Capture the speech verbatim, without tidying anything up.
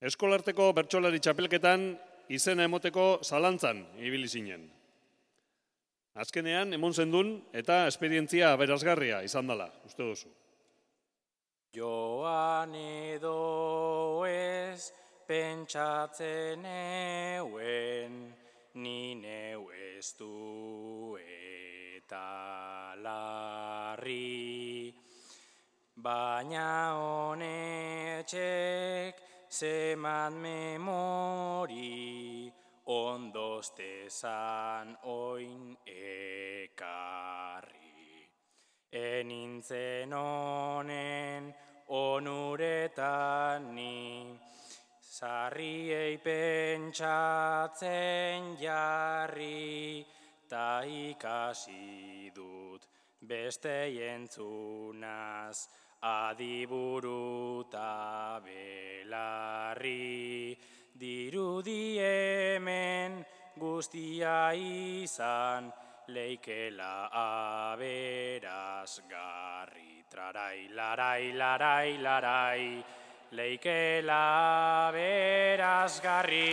Eskolarteko bertsolari txapelketan izena emoteko zalantzan ibili zinen. Azkenean emon zendun eta esperientzia aberasgarria izan dela, uste duzu. Joan edo ez pentsatzen euen, ni neu ez du eta larri. Baina honetxek zeman memori, ondostezan oin ekarri. Enintzen honen onuretan ni, sarriei pentsatzen jarri, ta ikasi dut bestei entzunaz, adiburu ta belarri. Dirudi hemen guztia izan, leikela aberasgarri. Trarai, larai, larai, larai, leikela aberasgarri.